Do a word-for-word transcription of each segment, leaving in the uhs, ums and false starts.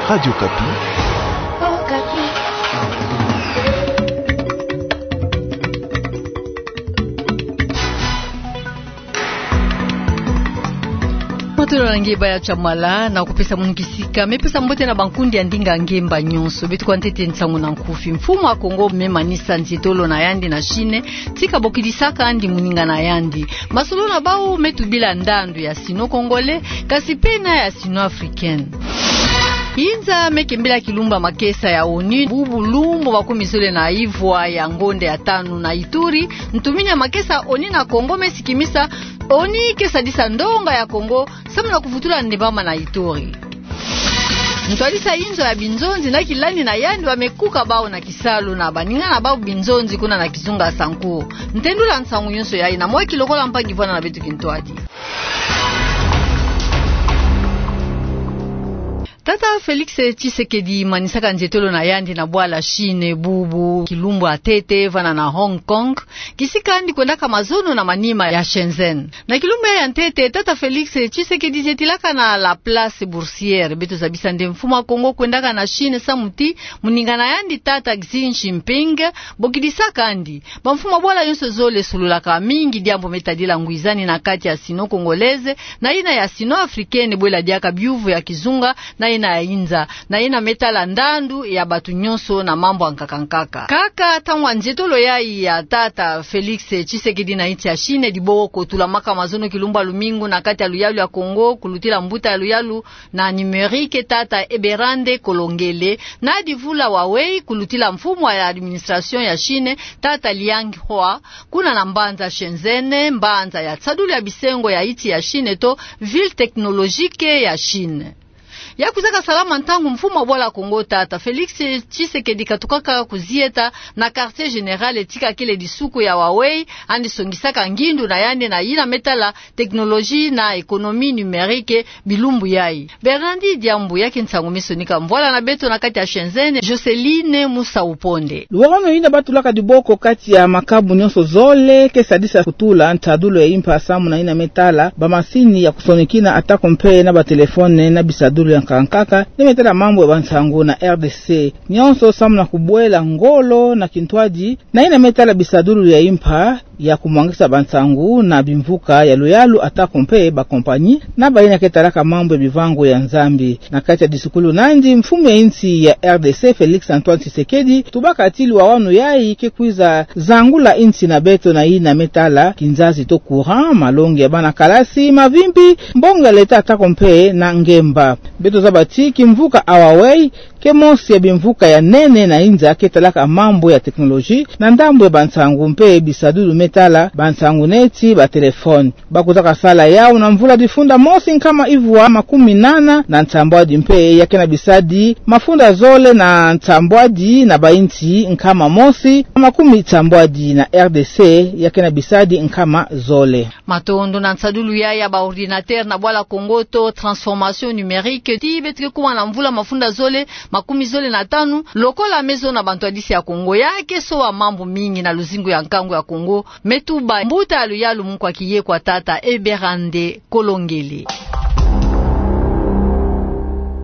Radio Okapi. Matondo na nge baya Chamala, na kupesa munu kisika me pesa mbote na bankundi ya ndinga ngemba nyonso. Beto kwa ntete nsangu na nkufi. Mfumu wa Kongo me manisa nzietolo na yandi na Chine, tika bokidisaka yandi moninga na yandi. Masolo na bau me tubila ndandu ya sino-congolais, kasi pe na ya sino-africaine. Inza me kembela kilumbu ya makesa ya ONU, bubu lumbu makumi zole na ivwa ya ngonde ya tanu na Ituri, ntumini ya makesa ya ONU na Kongo me sikimisa ONU ke sadisa ndonga ya Kongo, samu na kuvutula ndembama na Ituri. Ntwadisi ya inzo ya binzonzi na kilandi na yandi wa me kuka bau na kisalu na baninga na bau binzonzi kuna na kizunga Sanku. Ntendula nsangu nyonso yayi na mwaki lokola mpangi vwanda na beto kintwadi. Tata Felix Tshisekedi manisaka nzietolo na yandi na bwala Chine bubu kilumbu ya ntete vana na Hong Kong, kisika yandi kwendaka mazono na manima ya Shenzhen. Na kilumbu ya ntete, tata Felix Tshisekedi zietilaka na la Place Boursière. Beto zabisa nde mfumu wa Kongo kwendaka na Chine samu ti moninga na yandi tata Xi Jinping bokidisaka yandi. Bamfumu ya bwala nyonso zole sololaka mingi diambu me tadila ngwizani na kati ya sino-congolaise na yina ya sino-africaine, bwela diaka biuvu ya kizunga na yina ya inza, na yina me tala ndandu ya bato nyonso na mambu ya nkaka nkaka. Kaka ntangu ya nzietolo yayi ya tata Felix Tshisekedi na insi ya Chine, diboko tulamaka mazono kilumbu ya lumingu na kati ya luyalu ya Kongo, kulutila mbuta ya luyalu na numérique tata Eberande Kolongele, na divula Huawei, kulutila mfumu ya administration ya Chine tata Liang Hua, kuna na mbanza Shenzhen, mbanza ya nsadulu ya bisengo ya insi ya Chine to ville technologique ya Chine. Ya kwizaka salama ntangu mfumu ya bwala Kongo tata Felix Tshisekedi katukaka kuzieta na quartier général tika kele disuku ya Huawei, yandi songisaka ngindu na yandi na yina me tala technologie na économie numérique bilumbu yayi. Bernard Diambu, ya ke nsangu me sonika mvwala na beto na kati ya Shenzhen, Joceline Musa Uponde. Luwawanu yina ba tulaka diboko kati ya makabu nyonso zole ke sadisa kutula nsadulu ya impa samu na yina me tala bamasini ya kusonikina atako mpe na batelefone na bisadulu ya nkaka nkaka, yina me tala mambu ya bansangu na R D C. Nyonso samu na kubwela ngolo na kintwadi na yina me tala bisadulu ya impa ya kumwangisa bansangu na bimvuka ya luyalu atako mpe bakompanyi na bayina ke talaka mambu ya bivangu ya Nzambi. Na kati ya disukulu na yandi, mfumu ya insi ya R D C Felix Antoine Tshisekedi tubaka ti luwawanu yayi ke kwiza zangula insi na beto na yina me tala kinzazi to courant, malongi ya bana kalasi, mavimpi, mbongo ya leta atako mpe na ngemba. Beto zaba ti kimvuka Huawei ke mosi ya bimvuka ya nene na inza ke talaka mambu ya technologie na ndambu ya bansangu mpe bisadulu me tala bansangu neti batelefone. Ba kwizaka sala yawu na mvula difunda mosi nkama ivwa makumi nana na nsambwadi mpe ya ke na bisadi mafunda zole na nsambwadi na bainsi nkama mosi makumi nsambwadi na R D C ya ke na bisadi nkama zole. Matondo. Na nsadulu yayi ya ba ordinateur na bwala Kongo to transformation numérique, ti beto ke kuma na mvula mafunda zole makumi zole na tanu, lokola me zona bantwadisi ya Kongo, ya ke soba mambu mingi na luzingu ya nkangu ya Kongo, me tuba mbuta ya luyalu mukwa kiyekwa tata Eberande Kolongele.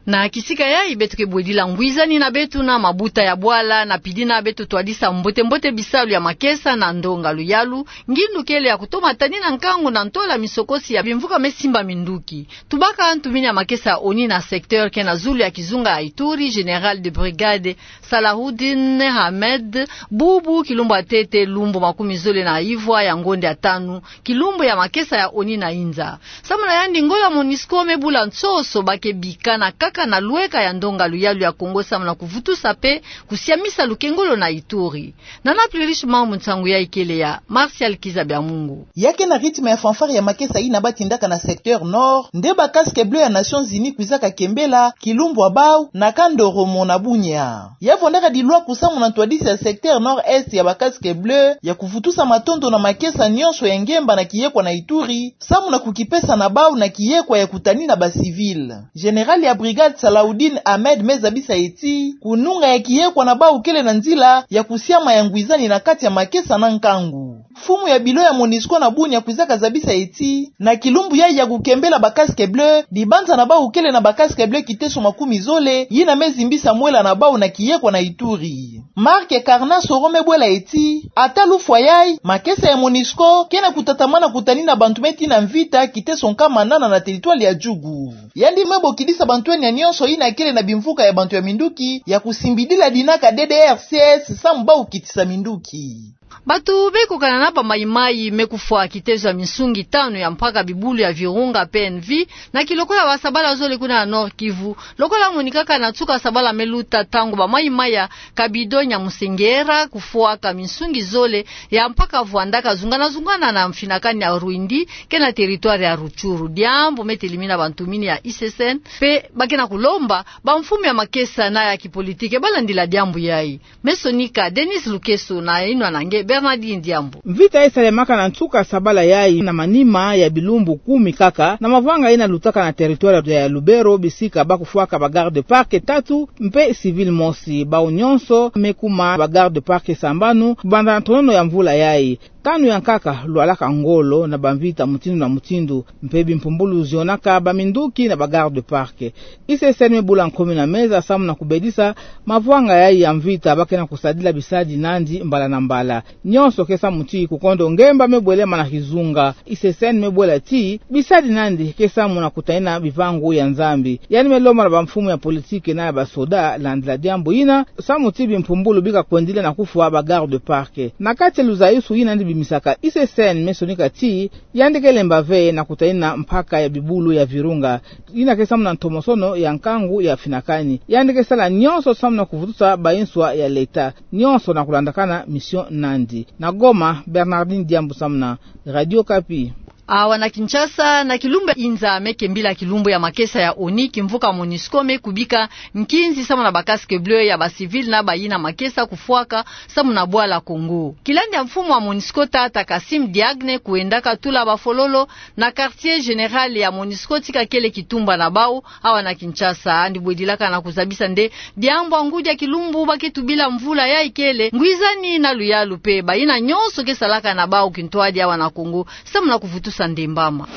Na kisika yayi beto ke bwedila ngwizani na beto na mabuta ya bwala, na pidi na beto twadisa mbote-mbote bisalu ya makesa na ndonga luyalu, ngindu kele ya kutoma tani na nkangu na ntola misokosi ya bimvuka me simba minduki. Tubaka ntumini ya makesa ya ONU na secteur ke na zulu ya kizunga ya Ituri, général de brigade Salahoudine Ahmed, bubu kilumbu ya ntete lumbu makumi zole na ivwa ya ngonde ya tanu, kilumbu ya makesa ya ONU na inza. Samu na yandi, ngolo ya MONUSCO me bula nsoso ba ke bika na nkaka na lweka ya ndonga luyalu ya Kongo samu na kuvutusa mpe kusiamisa lukengolo na Ituri. Nana Plurish Mambu, nsangu yayi kele ya Martial Kiza Biamungu. Ya ke na rythme ya fanfare ya makesa yina ba tindaka na secteur Nord, nde ba Casques Bleus ya Nations Unies kwizaka kembela kilumbu ya bawu na Kandoromo na Bunia. Ya vwandaka dilwaku samu na ntwadisi ya secteur Nord-Est ya ba Casques Bleus ya kuvutusa matondo na makesa nyonso ya ngemba na kiyekwa na Ituri, samu na kukipesa na bawu na kiyekwa ya kutani na ba civils. Général ya brigade Salahoudine Ahmed me zabisa ye ti kununga ya kiyekwa na bawu kele na nzila ya kusiama ya ngwizani na kati ya makesa na nkangu. Mfumu ya bilo ya MONUSCO na bunia kwizaka zabisa eti, na kilumbu yayi ya kukembela ba casques bleus, dibanza na bau kele na ba casques bleus kiteso makumi zole, yina me zimbisa mwela na bau na kiyekwa na Ituri. Marc Carnassoro me bwela eti, ata lufwa yayi, makesa ya MONUSCO ke na kutatamana kutanina bantu me tina mvita kiteso nkama nana na territoire ya Djugu. Yandi me bokidisa bantu enia nionso yina kele na bimvuka ya bantu ya minduki ya kusimbidila dinaka D D R C S samu bau kitisa minduki. Bantu be kokana na ba mayi-mayi me kufwa kitezo ya minsungi tanu ya mpaka bibulu ya Virunga P N V, na kilokola ba sabala zole kuna na Nord-Kivu, lokola monikaka na nsuka sabala me luta, ntangu ba mayi-mayi ya Kabido Nyamusengera kufwaka minsungi zole ya mpaka vwandaka zungana-zungana na mfinakani ya Rwindi ke na territoire ya Rutshuru. Diambu me telimina bantu mini ya I C C N, mpe ba ke na kulomba ba mfumu ya makesa na ya kipolitike ba landila diambu yayi. Me sonika Denis Lukeso na inwa na nge Bernardine Diambu. Mvita yayi salemaka na nsuka sabala yayi na manima ya bilumbu kumi kaka, na mavanga yina lutaka na territoire ya Lubero, bisika ba kufwaka ba garde parc tatu mpe civil mosi. Bau nionso me kuma ba garde parc sambanu kubanda na tonono ya mvula yayi. Tanu ya nkaka lwalaka ngolo na bamvita mutindu na mutindu, mpe bimpumbulu zionaka baminduki na ba garde parc. I C C N me bula nkomi na meza samu na kubedisa mavanga yayi ya mvita ba ke na kusadila bisadi nandi mbala na mbala. Nionso ke samu ti kukondo ngemba me bwelema na kizunga. I C C N me bwela ti bisadi nandi ke samu na kutanina bivangu ya Nzambi. Yandi me lomba na bamfumu ya politike na ya basoda landila diambu yina, samu ti bimpumbulu bika kwendila na kufwa ba garde parc. Na kati ya luzayusu yina yandi bimisaka, I C C N me sonika ti yandi ke lemba ve na kutanina mpaka ya bibulu ya Virunga, yina ke samu na ntomosono ya nkangu ya mfinakani. Yandi ke sala nionso samu na kuvutusa bayinswa ya leta, nionso na kulandakana mission nandi. Na Goma, Bernardine Diambu samu na Radio Okapi. Awa na Kinshasa, na kilumbu ya inza me kembila kilumbu ya makesa ya ONU, kimvuka MONUSCO me kubika nkinzi samu na ba casques bleus ya ba civils na bayina makesa kufwaka samu na bwala Congo. Kilandi ya mfumu wa MONUSCO tata Kassim Diagne kuendaka tula bafololo na quartier général ya MONUSCO tika kele kitumba na bau awa na Kinshasa, yandi bwedilaka na kuzabisa nde diambu ya ngudi ya kilumbu ba ke tubila mvula yayi kele ngwizani na luyalu mpe bayina nionso ke salaka na bau kintwadi awa na Congo samu na kuvutusa ndembama.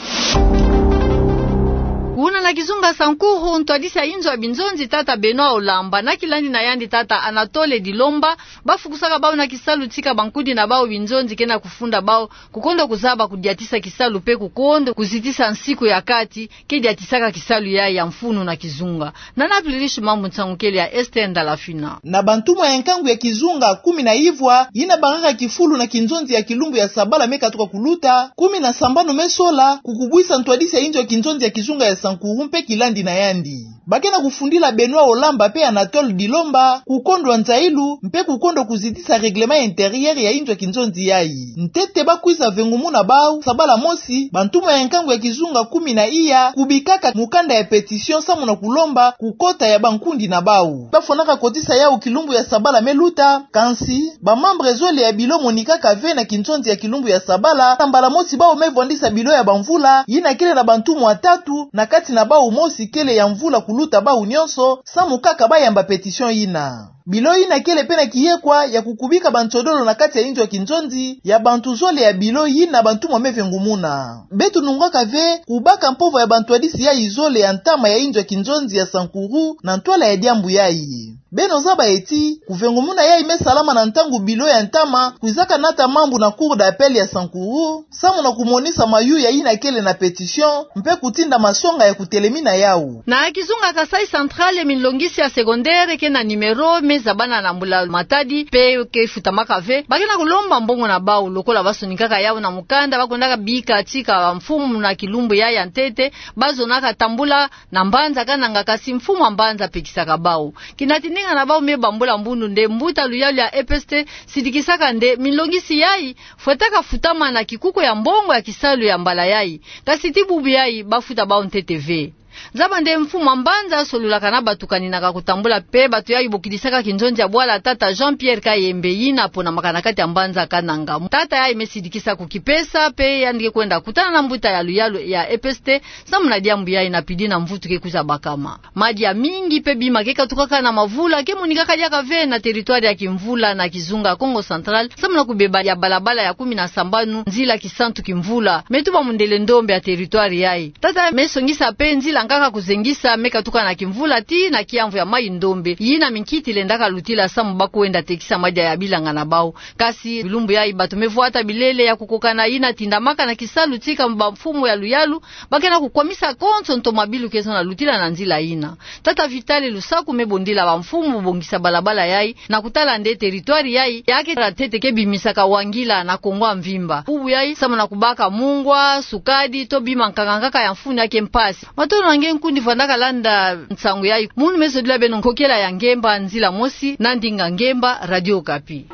Kuna na kizunga Sankuru, ntwadisi ya inzo ya binzonzi tata Benoît Olamba na kilandi na yandi tata Anatole Dilomba ba fukusaka bau na kisalu tika bankudi na bau binzonzi ke na kufunda bau kukondo kuzaba kudiatisa kisalu mpe kukondo kuzitisa nsiku ya kati ke diatisaka kisalu yayi ya mfunu na kizunga. Nana plirishi mambu nsangu kele ya Esther Ndalafina. Na bantumwa ya nkangu ya kizunga kumi na ivwa yina bakaka kifulu na kinzonzi ya kilumbu ya sabala me katuka kuluta, kumi na sambanu me sola, kukubwisa ntwadisi ya inzo ya kinzonzi ya kizunga ya Sankuru mpe kilandi na yandi. Ba ke na kufundila Benoît Olamba mpe Anatole Dilomba kukondwa nzailu mpe kukondo kuzitisa règlement intérieur ya inzo ya kinzonzi yayi. Ntete ba kwiza vengumuna bau sabala mosi, bantumwa ya nkangu ya kizunga kumi na iya kubikaka mukanda ya pétition samu na kulomba kukota ya bankundi na bau. Ba fwanaka kotisa yau kilumbu ya sabala me luta, kansi ba membres zole ya bilo monikaka ve na kinzonzi ya kilumbu ya sabala, na mbala mosi bau me vwandisa bilo ya bamvula yina kele na bantumwa tatu, na kati na bau mosi kele ya mvula kuluta bau nionso, samu kaka ba yamba pétition yina. Bilo yina kele mpe na kiyekwa ya kukubika bansodolo na kati ya inzo ya kinzonzi ya bantu zole ya bilo yina bantumwa me vengumuna. Beto nungaka ve kubaka mpova ya bantwadisi yayi zole ya ntama ya inzo ya kinzonzi ya Sankuru na ntwala ya diambu yayi. Beno zaba eti, kuvengumuna yayi me salama na ntangu bilo ya ntama kwizaka nata mambu na Cour d'appel ya Sankuru, samu na kumonisa mayuya yina kele na pétition, mpe kutinda masonga ya kutelemina yau. Na kizunga Kasaï Central, minlongisi ya secondaire ke na numéro me zabana na mbula matadi, mpe ke futamaka ve, ba ke na kulomba mbongo na bau, lokola ba sonikaka yau na mukanda ba kwendaka bika tika bamfumu na kilumbu yayi ya ntete, ba zonaka tambula na mbanza kananga, kasi mfumu wa mbanza pekisaka bau. Kina tindinga na bau me bambula mbundu nde mbuta luyalu ya E P S T sidikisaka nde minlongisi yayi fwetaka futama na kikuku ya mbongo ya kisalu ya mbala yayi, kasi ti bubu yayi ba futa bau ntete ve. Zaba nde mfumu a mbanza asololaka na bato kaninaka kotambula mpe bato yayi bokidisaka kinzonzi ya bwala tata Jean-Pierre Kayembe, yina ponamaka na kati ya mbanza Kananga. Tata yayi me sidikisa kokipesa mpe yandi ke kwenda kutana na mbuta ya luyalu ya E P S T samu na diambu yayi na pidi na mvutu ke kwiza bakama. Madia mingi mpe bima ke katukaka na mavula ke monikaka diaka ve na territoire ya Kimvula na kizunga Kongo Central, samu na kubeba ya balabala ya kumi na sambanu, nzila Kisantu-Kimvula, me tuba mundele ndombe ya territoire yayi. Tata me songisa mpe nzila nkaka kuzengisa me katuka na Kimvula tii na kiamvu ya mayi ndombe, yina minkiti lendaka lutila samu ba kwenda tekisa madia ya bilanga na bau. Kasi bilumbu yayi bato me vwata bilele ya kukoka na yina tindamaka na kisalu tika bamfumu ya luyalu, ba ke na kukwamisa konso ntoma bilu ke zonza lutila na nzila yina. Tata Vitali Lusaku me bondila bamfumu bongisa balabala yayi, na kutala nde territoire yayi ya ke tala ntete ke bimisaka wangila na Kongo ya mvimba. Bubu yayi samu na kubaka mungwa, sukadi, to bima nkaka nkaka ya mfunu ya ke mpasi. Matondo na nge nkundi vandaka landa nsangu yayi. Munu me zodila beno Nkokela ya Ngemba, nzila mosi na ndinga Ngemba, Radio Okapi.